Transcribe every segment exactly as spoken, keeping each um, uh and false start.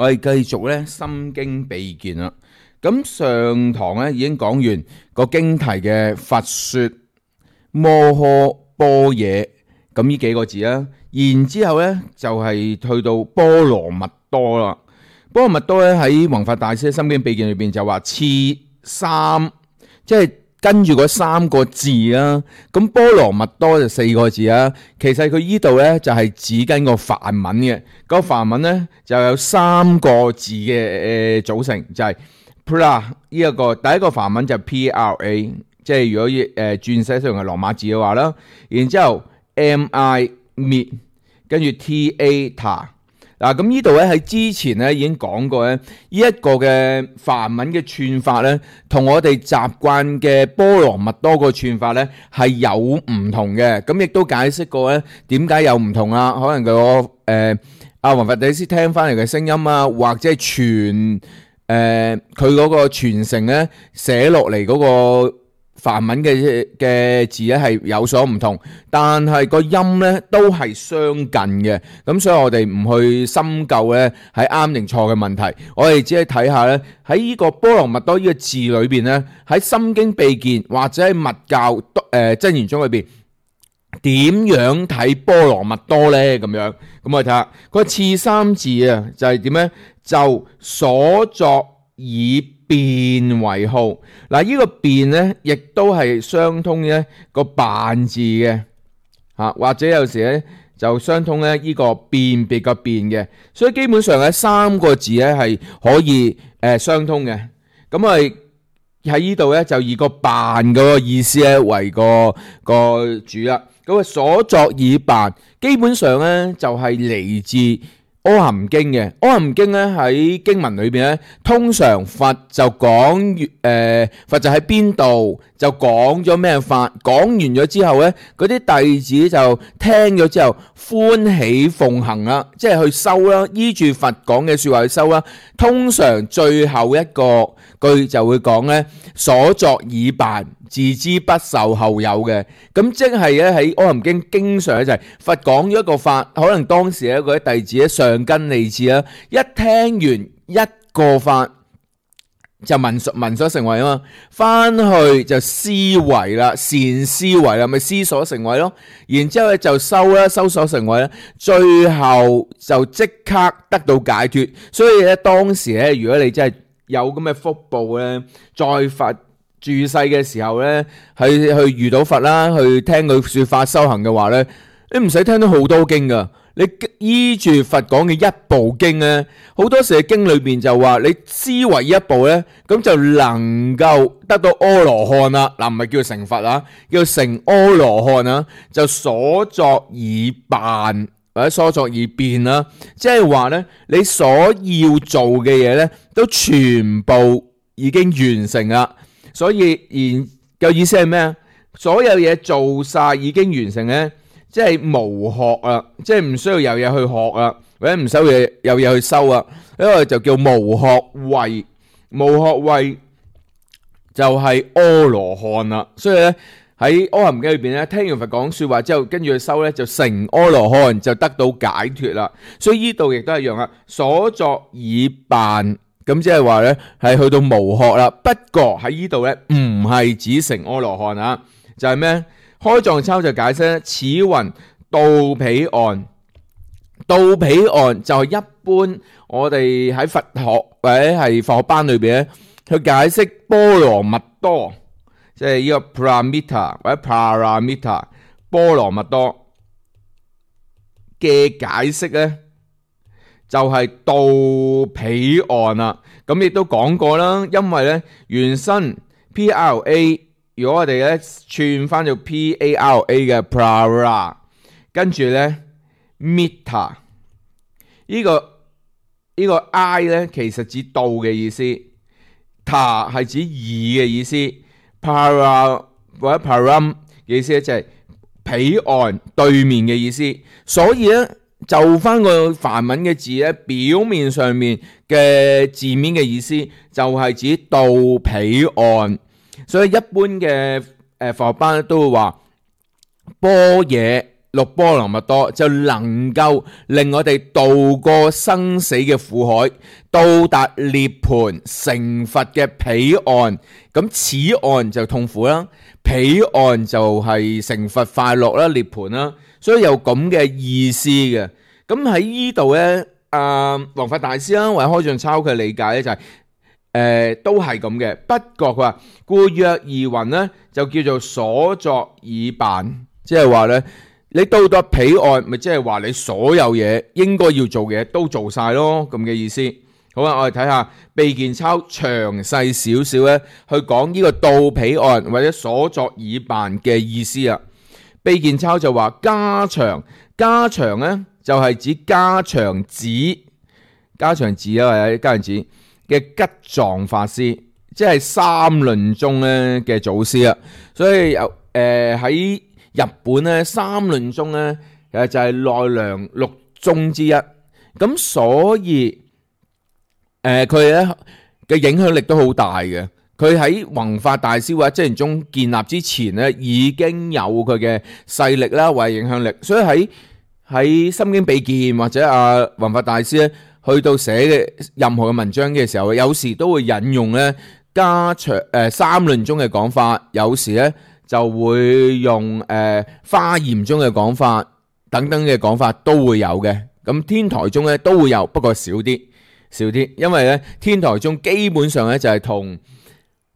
我哋繼續咧《心經秘見》啦。咁上堂咧已經講完個經題嘅佛說摩訶般若咁呢幾個字啦，然之後咧就係去到波羅蜜多啦。波羅蜜多咧喺弘法大師《心經秘見》裏邊就話次三，即係跟住嗰三個字啦。咁波羅蜜多就四個字啦。其實佢依度咧就係指緊個梵文嘅，個梵文咧就有三個字嘅誒組成，就係 pra 呢一個第一個梵文就 P R A， 即係如果誒轉寫成係羅馬字嘅話啦。然之後 M I mit， 跟住 T A ta。嗱，咁呢度咧喺之前咧已經講過咧，呢一個嘅梵文嘅串法咧，同我哋習慣嘅波羅蜜多個串法咧係有唔同嘅。咁亦都解釋過咧點解有唔同啊？可能個誒阿弘法大師聽翻嚟嘅聲音啊，或者係傳誒佢嗰個傳承咧寫落嚟嗰個梵文嘅嘅字咧係有所唔同，但係個音咧都係相近嘅。咁所以我哋唔去深究咧係啱定錯嘅問題，我哋只係睇下咧喺呢個波羅蜜多呢個字裏邊咧，喺心經秘見或者喺密教誒真言宗裏邊點樣睇波羅蜜多咧？咁樣咁我哋睇下個次三字啊，就係點咧？就所作以辯為號。嗱，呢個辯咧，亦都係相通咧個辦字嘅嚇，或者有時咧就相通咧呢個辨別個辨嘅，所以基本上咧三個字咧係可以誒相通嘅。咁我哋喺呢度咧就以個辦嗰個意思咧為個個主啦。咁啊所作以辦，基本上咧就係嚟自阿含經嘅。阿含經咧喺經文裏邊咧，通常佛就講誒、呃，佛就喺邊度就講咗咩法，講完咗之後咧，嗰啲弟子就聽咗之後歡喜奉行啦，即係去修啦，依住佛講嘅說話去修啦。通常最後一個句就會講咧，所作以辦，自知不受後有嘅。咁即係咧喺阿含經經常咧就係佛講咗一個法，可能當時咧嗰啲弟子咧上根利智啦，一聽完一個法就聞所聞所成為啊嘛，翻去就思維啦，善思維啦，咪思所成為咯。然之後咧就修啦，修所成為啦，最後就即刻得到解脫。所以咧當時咧，如果你真係有咁嘅福報咧，在佛住世嘅時候咧，去去遇到佛啦，去聽佢說法修行嘅話咧，你唔使聽到好多經噶，你依住佛講嘅一部經咧，好多時嘅經裏邊就話你思維一部咧，咁就能夠得到阿羅漢啦。嗱，唔係叫成佛啊，叫成阿羅漢啊，就所作以辦或者所作以辯啦，即係話咧，你所要做嘅嘢咧，都全部已經完成啦。所以然嘅意思係咩啊？所有嘢做晒已經完成咧，即係無學啊，即係唔需要有嘢去學啊，或者唔需要有嘢去修啊，呢個就叫無學位。無學位就係阿羅漢啦。所以咧喺阿含經裏邊咧，聽完佛講說話之後，跟住去修咧就成阿羅漢，就得到解脫啦。所以呢度亦都係一樣啊，所作以辦。咁即係話咧，係去到無學啦。不過喺呢度咧，唔係指成阿羅漢啊，就係咩？開藏抄就解釋咧，此云道彼岸。道彼岸就係一般我哋喺佛學或者係佛學班裏邊咧，去解釋波羅蜜多，即係呢個 paramita 或者 paramita 波羅蜜多嘅解釋咧，就係道彼岸啦。咁亦都講過啦，因為咧原身 P R A， 如果我哋咧串翻做 P A R A 嘅 para， 跟住咧 mita 呢個呢個 I 咧其實指道嘅意思， ta 係指義嘅意思， para 或者 param 嘅意思咧就係彼岸對面嘅意思。所以咧就翻個梵文嘅字咧，表面上面嘅字面嘅意思就係指道彼岸。所以一般嘅誒佛學班都會話般若六波羅蜜多，就能夠令我哋渡過生死嘅苦海，到達涅槃成佛嘅彼岸。咁此岸就痛苦啦，彼岸就係成佛快樂啦，涅槃啦，所以有咁嘅意思嘅。咁喺呢度咧，啊弘法大師啦，或者開俊抄佢理解咧就係、是。誒、呃，都係咁嘅。不過佢話故若而云咧，就叫做所作已辦，即係話咧，你到咗彼岸，咪即係話你所有嘢應該要做嘅嘢都做晒咯，咁嘅意思。好啦，我哋睇下秘見抄詳細少少咧，去講呢個到彼岸或者所作已辦嘅意思啊。秘見抄就話加長，加長咧就係指加長子，加長子啊，或者加長子嘅吉藏法師，即係三論宗咧嘅祖師啊，所以有誒喺日本咧，三論宗咧誒就係奈良六宗之一，咁所以誒佢咧嘅影響力都好大嘅。佢喺弘法大師或者真言宗建立之前咧，已經有佢嘅勢力啦，或者影響力，所以喺喺心經秘見或者阿弘法大師咧，去到寫嘅任何嘅文章嘅時候，有時都會引用咧加長誒三論宗嘅講法，有時咧就會用誒、呃、華嚴宗嘅講法等等嘅講法都會有嘅。咁天台宗咧都會有，不過少啲少啲，因為咧天台宗基本上咧就係同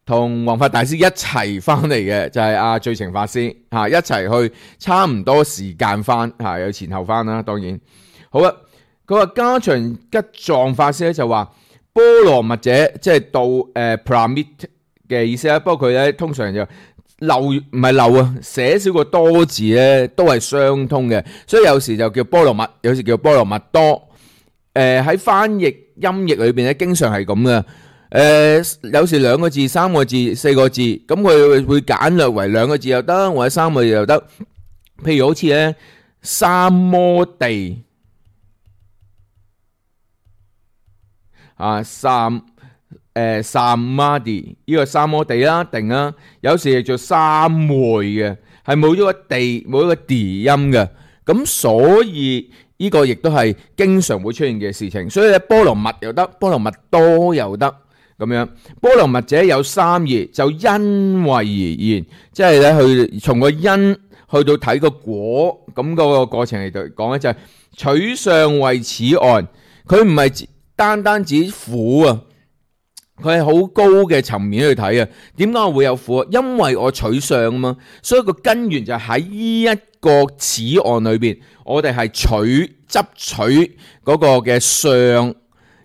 同弘法大師一齊翻嚟嘅，就係、是、阿最澄法師嚇、啊、一齊去，差唔多時間翻嚇、啊，有前後翻啦。當然好啊。佢話加長吉藏法師咧就話波羅蜜者，即係到誒 Paramit 嘅意思啦。不過佢咧通常就漏唔係漏啊，寫少個多字咧都係相通嘅，所以有時就叫波羅蜜，有時叫波羅蜜多。誒、呃、喺翻譯音譯裏邊咧，經常係咁嘅。誒、呃、有時兩個字、三個字、四個字，咁佢會簡略為兩個字又得，或者三個字又得。譬如好似咧三摩地。啊，三誒三摩地呢個三摩地啦，定啦，有時係做三昧嘅，係冇咗個地，冇咗個地音嘅，咁所以呢個亦都係經常會出現嘅事情。所以咧，波羅蜜又得，波羅蜜多又得咁樣。波羅蜜者有三義，就因為而言，即係咧去從個因去到睇個果，咁嗰個過程嚟度講咧，就係取相為此岸，佢唔係單單指苦啊，佢係好高嘅層面去睇啊。點解我會有苦啊？因為我取相啊嘛，所以個根源就喺呢一個此岸裏邊，我哋係取執取嗰個嘅相，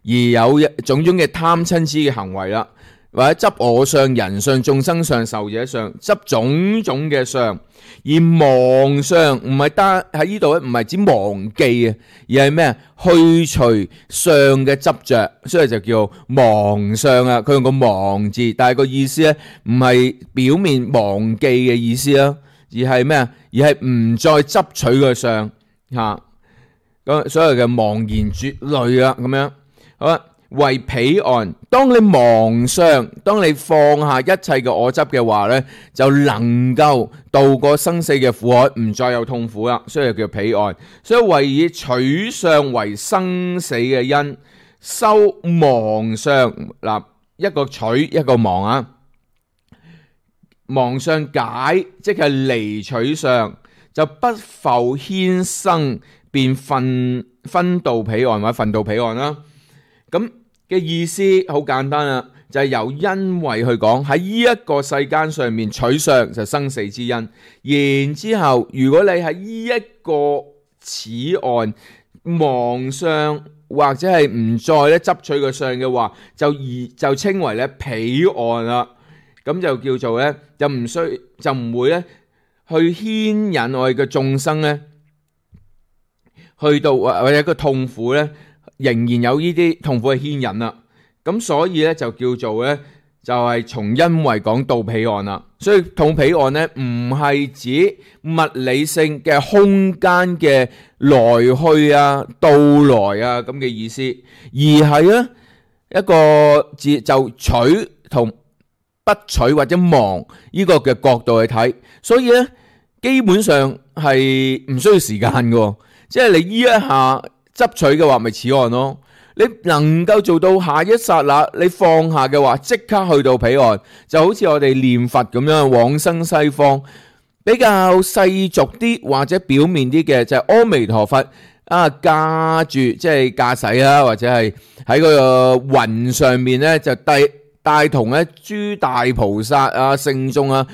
而有種種嘅貪嗔痴嘅行為啦，或者執我相、人相、眾生相、壽者相，執種種嘅相。而忘相唔係單喺呢度咧，唔係指忘記啊，而係咩啊？去除相嘅執着，所以就叫忘相啊。佢用個忘字，但係個意思咧唔係表面忘記嘅意思啦，而係咩啊？而係唔再執取個相吓，咁所謂嘅忘言絕類啊，咁樣好啦。為彼岸，當你忘相，當你放下一切嘅我執嘅話呢，就能夠渡過生死嘅苦海，唔再有痛苦啦。所以叫彼岸。所以為以取相為生死嘅因，修忘相嗱，一個取一個忘啊。忘相解，即係離取相，就不復牽生，便分分渡彼岸或者分渡彼岸啦。咁嘅意思好簡單啦，就係、是、由因為去講喺呢一個世間上面取相就生死之因，然之後如果你喺呢一個此岸忘相或者係唔再咧執取個相嘅話，就而就稱為咧彼岸啦。咁就叫做咧就唔需就唔會咧去牽引我哋嘅眾生咧去到或者個痛苦咧。仍然有呢啲痛苦嘅牽引啦，咁所以咧就叫做咧就係從因為講到彼岸啦。所以到彼岸咧唔係指物理性嘅空間嘅來去啊、到來啊咁嘅意思，而係咧一個字就取同不取或者忘呢個嘅角度去睇。所以咧基本上係唔需要時間嘅，即係你呢一下執取嘅話，咪此岸咯。你能夠做到下一剎那，你放下嘅話，即刻去到彼岸，就好似我哋念佛咁樣往生西方。比較世俗啲或者表面啲嘅就係阿彌陀佛啊，駕住即係駕駛啦，或者係喺個雲上面咧就帶帶同咧諸大菩薩啊、聖眾啊，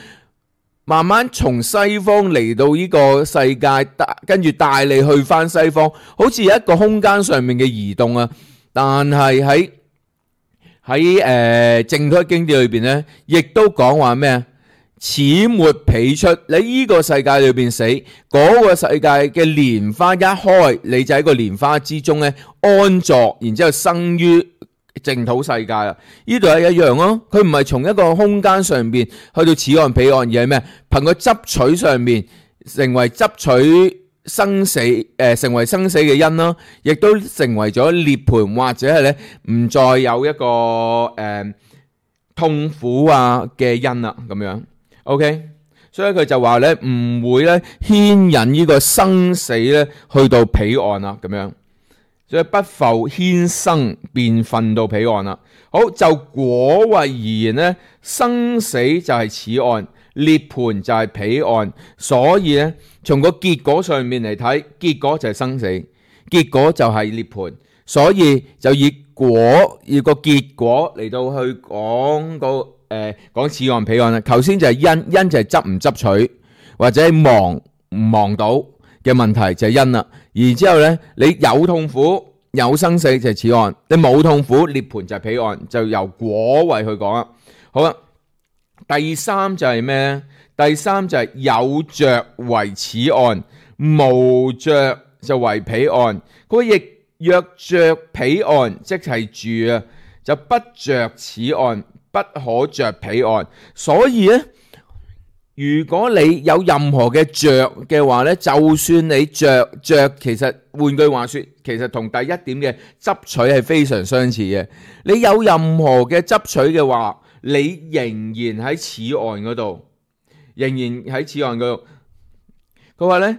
慢慢從西方嚟到呢個世界，跟住帶你去翻西方，好似一個空間上面嘅移動啊。但係喺喺誒淨土經典裏邊咧，亦都講話咩啊？此末彼出，你呢個世界裏邊死，嗰、那個世界嘅蓮花一開，你就喺個蓮花之中咧安坐，然之後生於淨土世界啦。呢度係一樣咯，佢唔係從一個空間上邊去到此岸彼岸，而係咩？憑個執取上面成為執取生死，誒、呃、成為生死嘅因啦，亦都成為咗涅槃，或者係咧唔再有一個誒、呃、痛苦啊嘅因啦，咁樣。OK， 所以佢就話咧唔會咧牽引呢個生死咧去到彼岸啦，咁樣，所以不復牽生便分到彼岸啦。好，就果位而言咧，生死就係此岸，涅槃就係彼岸，所以咧從個結果上面嚟睇，結果就係生死，結果就係涅槃，所以就以果以個結果嚟到去講個。誒，講此岸彼岸啦，頭先就係因，因就係執唔執取或者望唔望到嘅問題就係因啦。然之後咧，你有痛苦有生死就係此岸，你冇痛苦涅槃就係彼岸，就由果位去講啦。好啦，第三就係咩咧？第三就係有着為此岸，無着就為彼岸。佢亦若着彼岸，即係住啊，就不着此岸。不可着彼岸，所以咧，如果你有任何嘅着嘅話咧，就算你着着，其實換句話說，其實同第一點嘅執取係非常相似嘅。你有任何嘅執取嘅話，你仍然喺此岸嗰度，仍然喺此岸嗰度。佢話咧，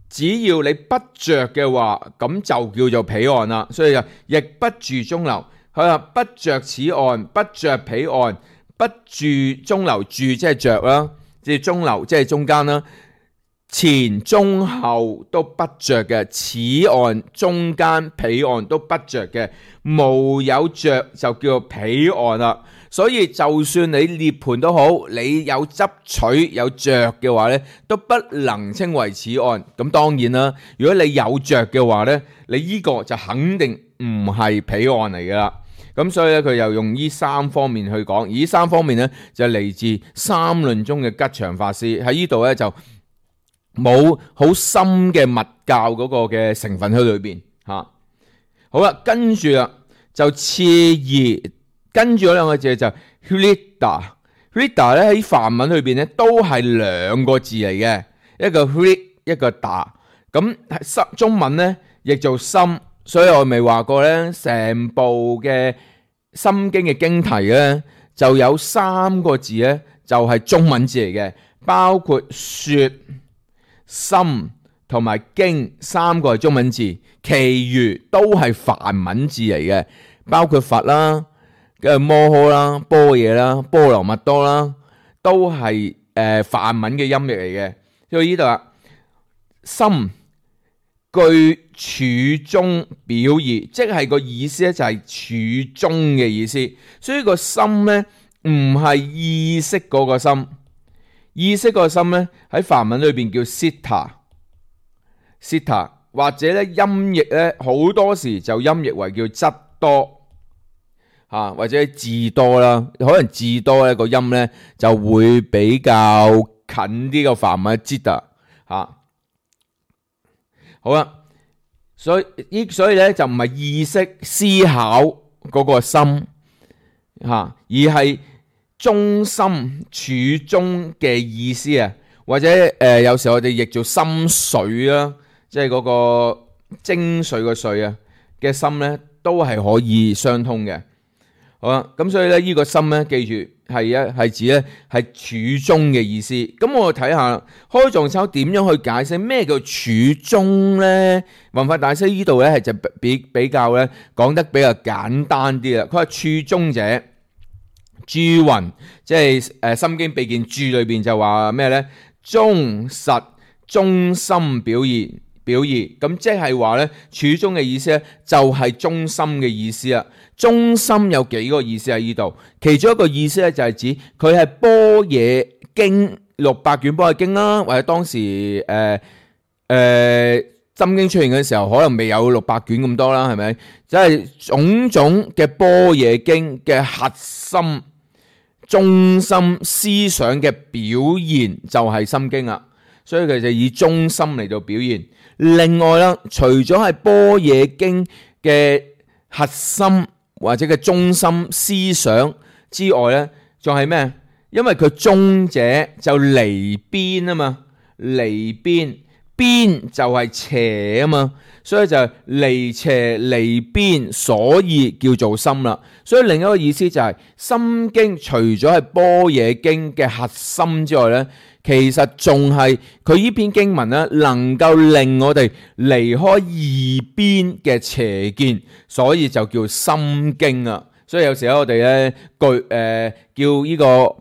只要你不着嘅話，咁就叫做彼岸啦。所以就亦不住中流。佢話不着此岸，不着彼岸，不住中流，住即係着啦，即係中流，即係中間啦。前中後都不着嘅，此岸中間彼岸都不着嘅，無有着就叫做彼岸啦。所以就算你涅槃都好，你有執取有着嘅話咧，都不能稱為此岸。咁當然啦，如果你有着嘅話咧，你呢個就肯定唔係彼岸嚟噶啦。咁所以咧，佢又用呢三方面去講，而呢三方面咧就嚟自三論中嘅吉祥法師喺呢度咧就冇好深嘅密教嗰個嘅成分喺裏邊嚇。好啦，跟住啦就次二，跟住嗰兩個字就 Hrida，Hrida 咧喺梵文裏邊咧都係兩個字嚟嘅，一個 Hrid 一個 Da， 咁中文咧亦做心。所以我未話過咧，成部嘅心經嘅經題咧，就有三個字咧，就係中文字嚟嘅，包括說、心同埋經三個係中文字，其餘都係梵文字嚟嘅，包括佛啦、跟住摩訶啦、般若啦、波羅蜜多啦，都係誒梵文嘅音譯嚟嘅。所以呢度啊，心據處中表義，即係個意思咧，就係處中嘅意思。所以個心咧唔係意識嗰個心，意識嗰個心咧喺梵文裏邊叫 sita，sita 或者咧音譯咧好多時就音譯為叫質多吓，或者智多啦。可能智多咧個音咧就會比較近啲個梵文 jita 吓。好啦，所以依所以咧就唔係意識思考嗰個心吓，而係中心處中嘅意思啊，或者誒、呃、有時候我哋譯做心髓啦，即係嗰個精髓個髓啊嘅心咧，都係可以相通嘅。好啦，咁所以咧呢個心咧，記住係一係指咧係處中嘅意思。咁我哋睇下開藏抄點樣去解釋咩叫處中咧？弘法大師呢度咧係就比比較咧講得比較簡單啲啦。佢話處中者，注云，即係誒《心經秘見注》裏邊就話咩咧？忠實忠心表現表義，咁即係話咧處中嘅意思咧就係忠心嘅意思啦。忠心有幾個意思喺呢度，其中一個意思咧就係指佢係般若經六百卷般若經啦，或者當時誒誒、呃呃、心經出現嘅時候，可能未有六百卷咁多啦，係咪？即係種種嘅般若經嘅核心、中心思想嘅表現就係心經啦，所以佢就以中心嚟到表現。另外啦，除咗係般若經嘅核心或者嘅中心思想之外咧，仲係咩？因為佢中者就離邊啊嘛，離邊邊就係邪啊嘛，所以就離邪離邊，所以叫做心啦。所以另一個意思就係、是《心經》除咗係般若經嘅核心之外咧，其實仲係佢呢篇經文咧，能夠令我哋離開二邊嘅邪見，所以就叫心經啊。所以有時候我哋咧句誒叫呢個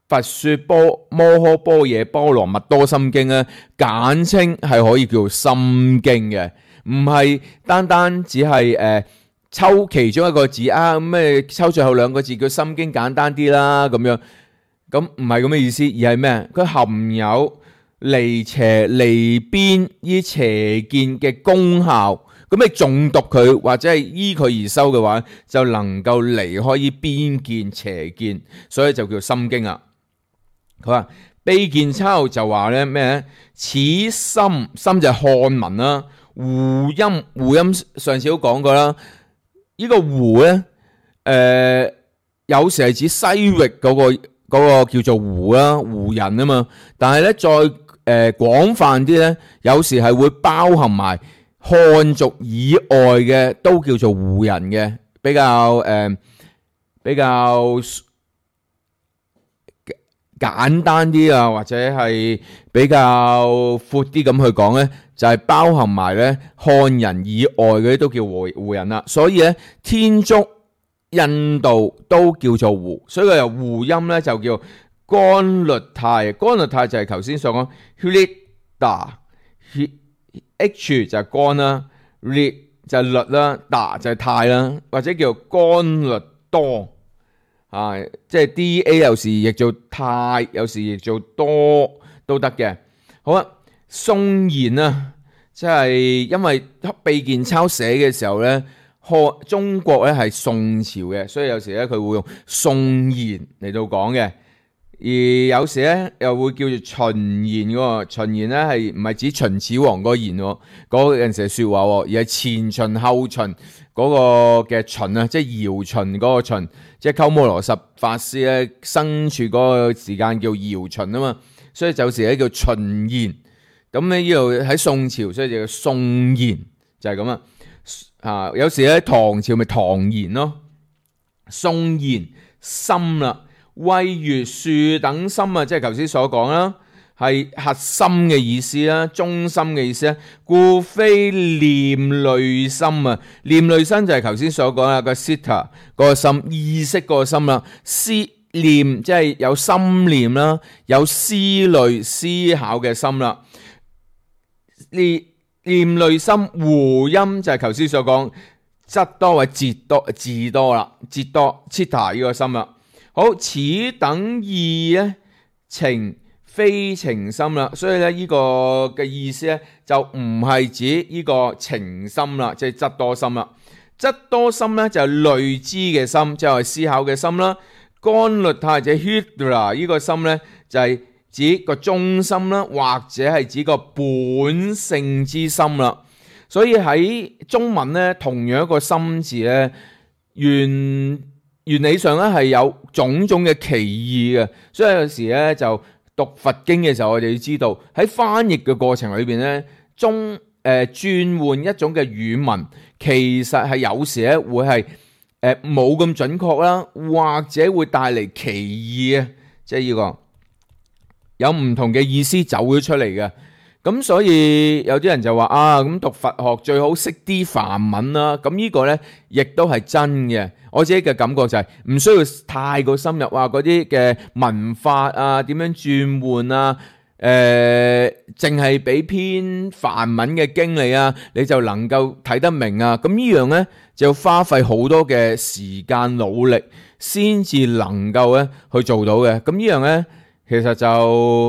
佛說波摩訶般若波羅蜜多心經咧，簡稱係可以叫心經嘅，唔係單單只係誒、呃、抽其中一個字啊，咩抽最後兩個字叫心經簡單啲啦咁樣。咁唔係咁嘅意思，而係咩？佢含有離邪離邊依邪見嘅功效。咁你誦讀佢或者係依佢而修嘅話，就能夠離開依邊見邪見，所以就叫心經啊。佢話秘見抄就話咧咩咧？此心心就係漢文啦，胡音胡音上次都講過啦。呢、這個胡咧，誒、呃、有時係指西域嗰、那個。嗰個叫做胡啦，胡人啊嘛，但係咧再誒、呃、廣泛啲咧，有時係會包含埋漢族以外嘅都叫做胡人嘅，比較誒、呃、比較簡單啲啊，或者係比較闊啲咁去講咧，就係、是、包含埋咧漢人以外嘅都叫胡胡人啦。所以咧天竺、印度都叫做胡，所以佢由胡音咧就叫干律泰。干律泰就係頭先所講 Hlita，H 就係干啦 ，Lit 就係律啦 ，Da 就係泰啦，或者叫干律多啊，即係 D A 有時譯做泰，有時譯做多都得嘅。好啊，宋賢啊，即係因為秘見抄寫嘅時候咧。中國咧係宋朝嘅，所以有時咧佢會用宋賢嚟到講嘅，而有時咧又會叫做秦賢嘅。秦賢咧係唔係指秦始皇嗰個賢嗰陣時嘅說話，而係前秦後秦嗰個嘅秦啊，即係堯秦嗰個秦，即係鳩摩羅什法師咧生處嗰個時間叫堯秦啊嘛，所以有時咧叫秦賢。咁咧呢度喺宋朝，所以就叫宋賢，就係咁啊。啊，有時咧唐朝咪唐賢咯，宋賢心啦，謂如樹等心啊，即係頭先所講啦，係核心嘅意思啦，中心嘅意思啦，故非念慮心啊，念慮心就係頭先所講啦，個 sita 個心意識個心啦，思念即係有心念啦，有思慮思考嘅心啦，呢。念慮心胡音就係頭先所講，則多或節多字多啦，節多 Chitta 呢個心啦。好，此等意咧情非情心啦，所以咧呢個嘅意思咧就唔係指呢個情心啦，即係則多心啦。則多心咧就係慮知嘅心，即係思考嘅心啦。干律泰者 Hidra 呢個心咧就係、是。指個中心啦，或者係指個本性之心啦。所以喺中文咧，同樣一個心字咧，原原理上咧係有種種嘅歧義嘅。所以有時咧就讀佛經嘅時候，我哋要知道喺翻譯嘅過程裏邊咧，中誒轉換一種嘅語文，其實係有時咧會係誒冇咁準確啦，或者會帶嚟歧義啊，即係呢個有唔同嘅意思走咗出嚟嘅。咁所以有啲人就話啊，咁讀佛學最好識啲梵文啦。咁呢個呢，亦都係真嘅。我自己嘅感覺就係唔需要太過深入啊，嗰啲嘅文法啊，點樣轉換啊，誒，淨係俾篇梵文嘅經你啊，你就能夠睇得明啊。咁呢樣呢，就要花費好多嘅時間努力先至能夠咧去做到嘅。咁呢樣呢，其實就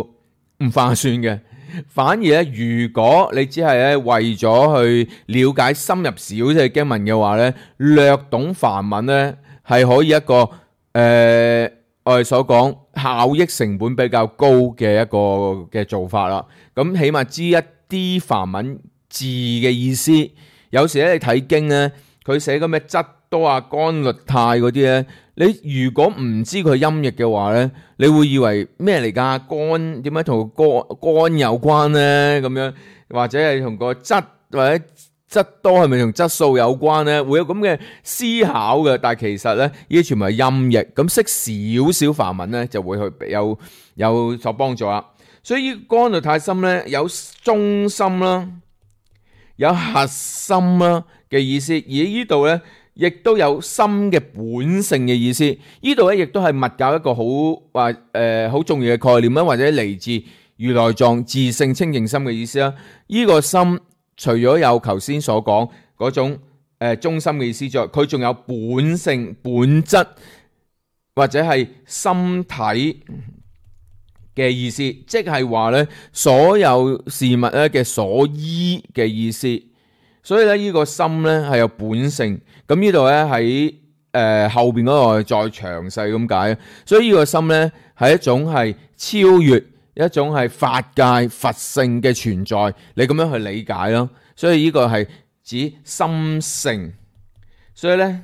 唔划算嘅。反而咧，如果你只係咧為咗去了解深入少少嘅經文嘅話咧，略懂梵文咧係可以一個誒、呃、我哋所講效益成本比較高嘅一個嘅做法啦。咁起碼知一啲梵文字嘅意思。有時咧你睇經咧，佢寫個咩質多啊、干律泰嗰啲咧，你如果唔知佢音譯嘅話咧，你會以為咩嚟㗎？干點解同個干有關咧？咁樣或者係同個質或者質多係咪同質素有關咧？會有咁嘅思考嘅，但係其實咧，呢啲全部係音譯。咁識少少梵文咧，就會去有有所幫助啦。所以干律泰心咧有中心啦，有核心啦嘅意思，而呢度咧，亦都有心嘅本性嘅意思。呢度咧亦都係密教一個好話誒好重要嘅概念啦，或者嚟自如來藏自性清淨心嘅意思啦。呢個心除咗有頭先所講嗰種誒中心嘅意思之外，佢仲有本性本質或者係心體嘅意思，即係話咧所有事物咧嘅所依嘅意思。所以咧呢個心咧係有本性。咁呢度咧喺誒後邊嗰個再詳細咁解。所以呢個心咧係一種係超越一種係法界佛性嘅存在，你咁樣去理解咯。所以呢個係指心性。所以咧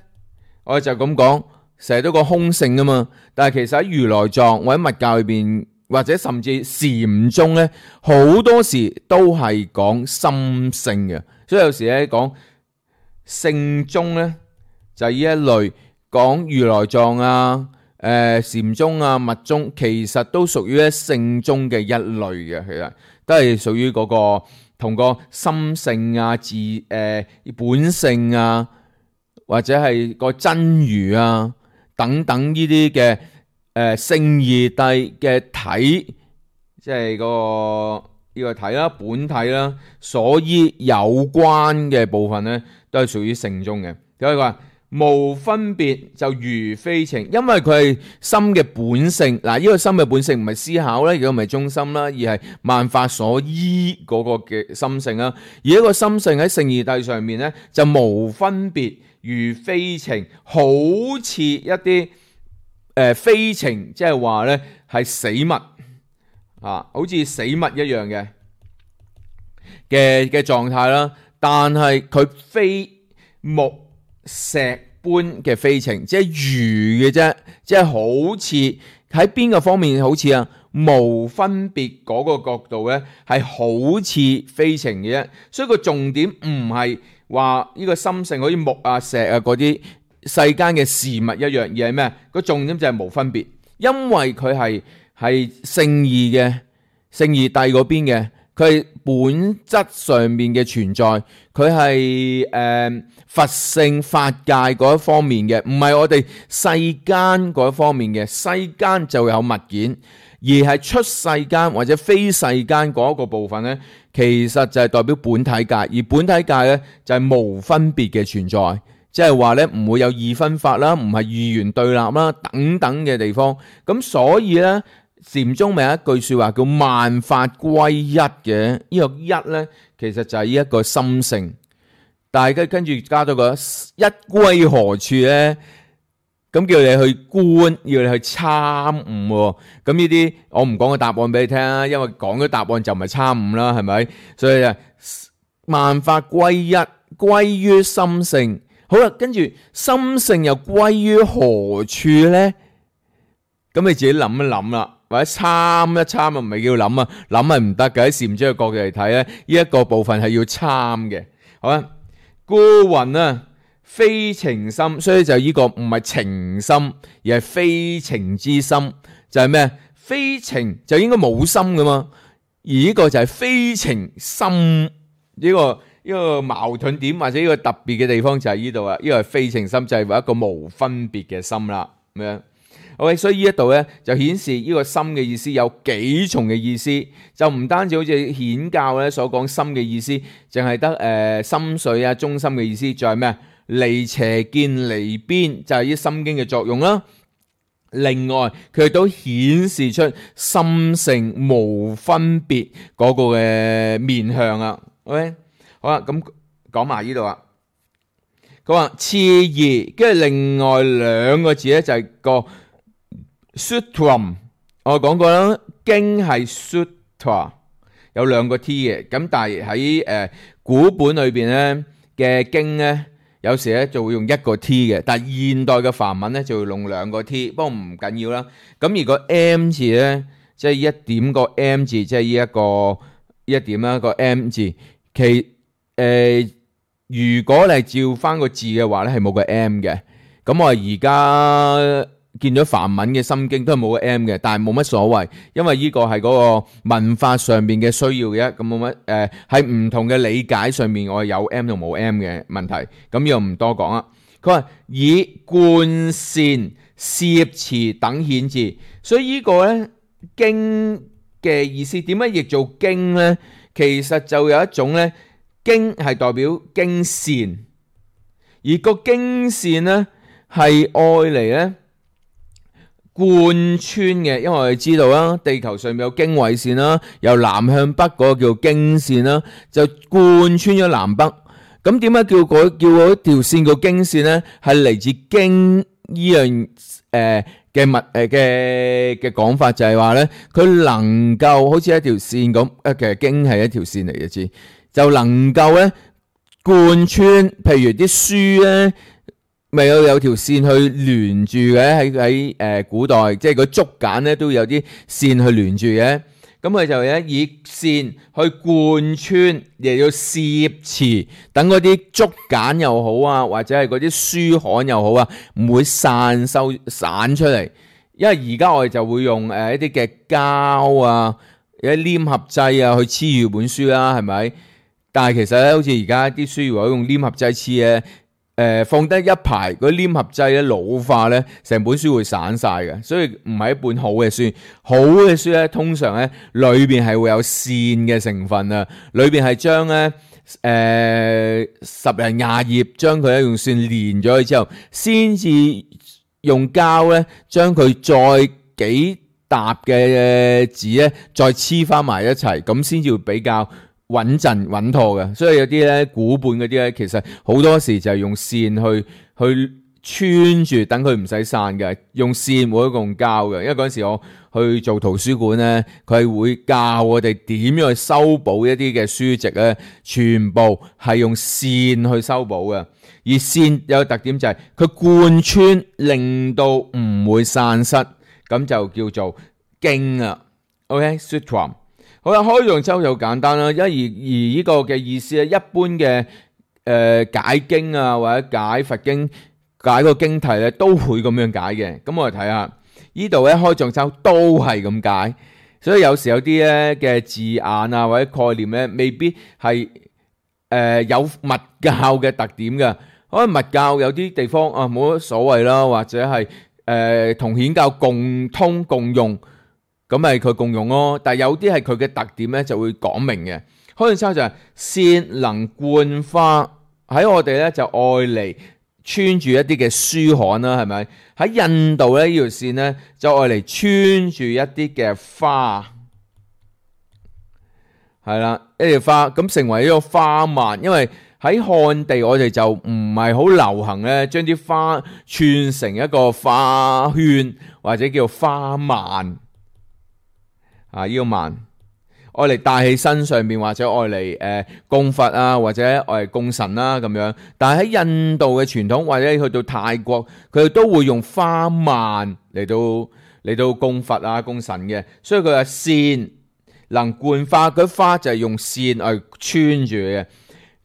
我哋就咁講，成日都講空性啊嘛。但係其實喺如來藏或者密教裏邊，或者甚至禪宗咧，好多時都係講心性嘅。所以有時咧講聖宗咧，就係呢一類講如來藏啊、誒禪宗啊、密宗，其實都屬於咧聖宗嘅一類嘅，其實都係屬於嗰個同個心性啊、自誒、呃、本性啊，或者係個真如啊等等呢啲嘅誒聖義諦嘅體，即係個。呢個體啦、本體啦，所依有關嘅部分咧，都係屬於聖宗嘅。佢話無分別就如非情，因為佢係心嘅本性。嗱，呢個心嘅本性唔係思考啦，亦都唔係中心啦，而係萬法所依嗰個嘅心性啦。而一個心性喺聖義諦上面咧，就無分別如非情，好似一啲誒、呃、非情，即係話咧係死物。啊，好似死物一樣嘅嘅嘅狀態啦，但係佢非木石般嘅非情，即係如嘅啫，即係好似喺邊個方面好似啊無分別嗰個角度咧，係好似非情嘅啫。所以個重點唔係話呢個心性好似木啊石啊嗰啲世間嘅事物一樣，而係咩？個重點就係無分別，因為佢係。係聖義嘅聖義諦嗰邊嘅，佢係本質上面嘅存在，佢係誒佛性法界嗰一方面嘅，唔係我哋世間嗰一方面嘅。世間就有物件，而係出世間或者非世間嗰一個部分咧，其實就係代表本體界，而本體界咧就係無分別嘅存在，即係話咧唔會有二分法啦，唔係二元對立啦等等嘅地方。咁所以咧。禪宗咪有一句說話叫萬法歸一嘅，呢、這個一咧其實就係呢一個心性，但係跟住加咗個一歸何處咧？咁叫你去觀，要你去參悟。咁呢啲我唔講個答案俾你聽啦，因為講咗答案就唔係參悟啦，係咪？所以啊，萬法歸一，歸於心性。好啦，跟住心性又歸於何處咧？咁你自己諗一諗啦。或者參一參啊，唔係叫諗啊，諗係唔得嘅。喺禪宗嘅角度嚟睇咧，呢一個部分係要參嘅。好啦，故云啊，非情深，所以就呢個唔係情深，而係非情之深，就係咩？非情就應該冇心噶嘛，而呢個就係非情深，呢、這個呢、這個矛盾點或者呢個特別嘅地方就係呢度啊，呢、這個係非情深就係、是、話一個無分別嘅心啦，咁樣。OK， 所以呢一度咧就顯示呢個心嘅意思有幾重嘅意思，就唔單止好似顯教咧所講心嘅意思，淨係得誒心水啊中心嘅意思，仲係咩？離邪見離邊，就係呢心經嘅作用啦。另外佢都顯示出心性無分別嗰個嘅面向啊。OK， 好啦，咁講埋呢度啊。佢話次二，跟住另外兩個字咧就係個 sutram， 我講過啦，經係 sutra， 有兩個 t 嘅，咁但係喺誒古本裏邊咧嘅經咧。有時咧就會用一個 T 嘅，但係現代嘅梵文咧就會用兩個 T， 不過唔緊要啦。咁如果 M 字咧，即係一點個 M 字，即係呢一個一點啦個 M 字，其誒、呃、如果你係照翻個字嘅話咧，係冇個 M 嘅。咁我而家見咗梵文嘅心經都係冇個 M 嘅，但係冇乜所謂，因為呢個係嗰個文化上邊嘅需要嘅，咁冇乜誒喺唔同嘅理解上面，我有 M 同冇 M 嘅問題，咁又唔多講啦。佢話以貫善攝持等顯字，所以呢個咧經嘅意思點解譯做經咧？其實就有一種咧經係代表經線，而個經線咧係愛嚟咧。貫穿嘅，因為我哋知道啦，地球上面有經緯線啦，由南向北嗰個叫經線啦，就貫穿咗南北。咁點解叫嗰叫嗰條線叫經線咧？係嚟自經呢樣誒嘅物誒嘅嘅講法，就係話咧，佢能夠好似一條線咁，誒其實經係一條線嚟嘅，知就能夠咧貫穿，譬如啲書咧。咪有有條線去連住嘅，喺喺誒古代，即係個竹簡咧都有啲線去連住嘅。咁佢就咧以線去貫穿，亦要攝持，等嗰啲竹簡又好啊，或者係嗰啲書刊又好啊，唔會散收散出嚟。因為而家我哋就會用誒一啲嘅膠啊，有啲黏合劑啊去黐住本書啦，係咪？但係其實咧，好似而家啲書如果用黏合劑黐嘅。誒、呃、放低一排嗰啲黏合劑咧老化咧，成本書會散晒嘅，所以唔係一本好嘅書。好嘅書咧，通常咧裏邊係會有線嘅成分啊，裏邊係將咧誒十零廿頁將佢咧用線連咗去之後，先至用膠咧將佢再幾沓嘅紙咧再黐翻埋一齊，咁先至會比較穩陣穩妥嘅。所以有啲咧古本嗰啲咧，其實好多時就係用線去去穿住，等佢唔使散嘅。用線冇得用膠嘅，因為嗰陣時我去做圖書館咧，佢係會教我哋點樣去修補一啲嘅書籍咧，全部係用線去修補嘅。而線有個特點就係佢貫穿，令到唔會散失，咁就叫做經啊。OK，Sutram。好啦，開藏周就簡單啦，因而而呢個嘅意思咧，一般嘅誒、呃、解經啊或者解佛經解個經題咧，都會咁樣解嘅。咁我哋睇下呢度咧，開藏周都係咁解，所以有時有啲咧嘅字眼啊或者概念咧，未必係誒、呃、有密教嘅特點嘅。可能密教有啲地方啊冇乜所謂啦，或者係誒同顯教共通共用。咁咪佢共用咯，但係有啲係佢嘅特點咧，就會講明嘅。開藏周就係線能貫花，喺我哋咧就愛嚟穿住一啲嘅書刊啦，係咪？喺印度咧呢條線咧就愛嚟穿住一啲嘅花，係啦，一條花咁成為一個花蔓。因為喺漢地我哋就唔係好流行咧，將啲花串成一個花圈或者叫花蔓。啊！呢、這個蔓愛嚟戴喺身上面，或者愛嚟誒供佛啊，或者愛嚟供神啦、啊、咁樣。但係喺印度嘅傳統，或者去到泰國，佢哋都會用花蔓嚟到嚟到供佛啊、供神嘅。所以佢話線能貫花，嗰花就係用線嚟穿住嘅。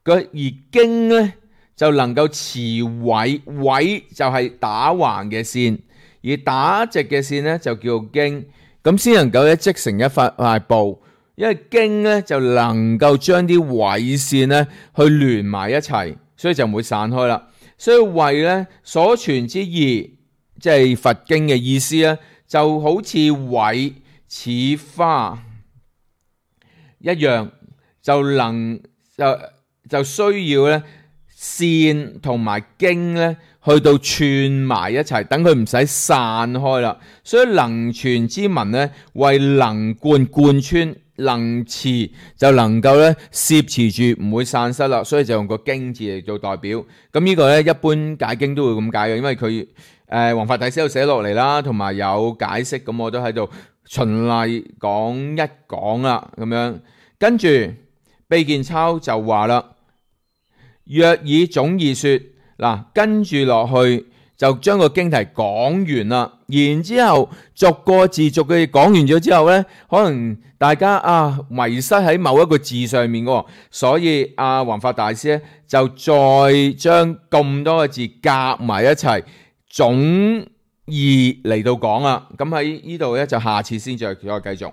佢而經咧就能夠持緯，緯就係打橫嘅線，而打直嘅線咧就叫做經，咁先能夠咧織成一塊塊布。因為經咧就能夠將啲緯線咧去連埋一齊，所以就唔會散開啦。所以緯咧所傳之義，即係佛經嘅意思咧，就好似緯似花一樣，就能就就需要咧線同埋經咧去到串埋一齊，等佢唔使散開啦。所以能傳之文咧，為能貫貫穿。能持就能夠咧攝持住，唔會散失啦，所以就用個經字嚟做代表。咁呢個咧一般解經都會咁解嘅，因為佢誒弘法大師有寫落嚟啦，同埋有解釋，咁我都喺度循例講一講啦，咁樣跟住秘見鈔就話啦，若以總義說，嗱跟住落去就將個經題講完啦，然之後逐個字逐個字講完咗之後呢，可能大家啊迷失喺某一個字上面嘅，所以阿弘法大師咧就再將咁多個字夾埋一齊總義嚟到講啦。咁喺呢度咧就下次先再再繼續。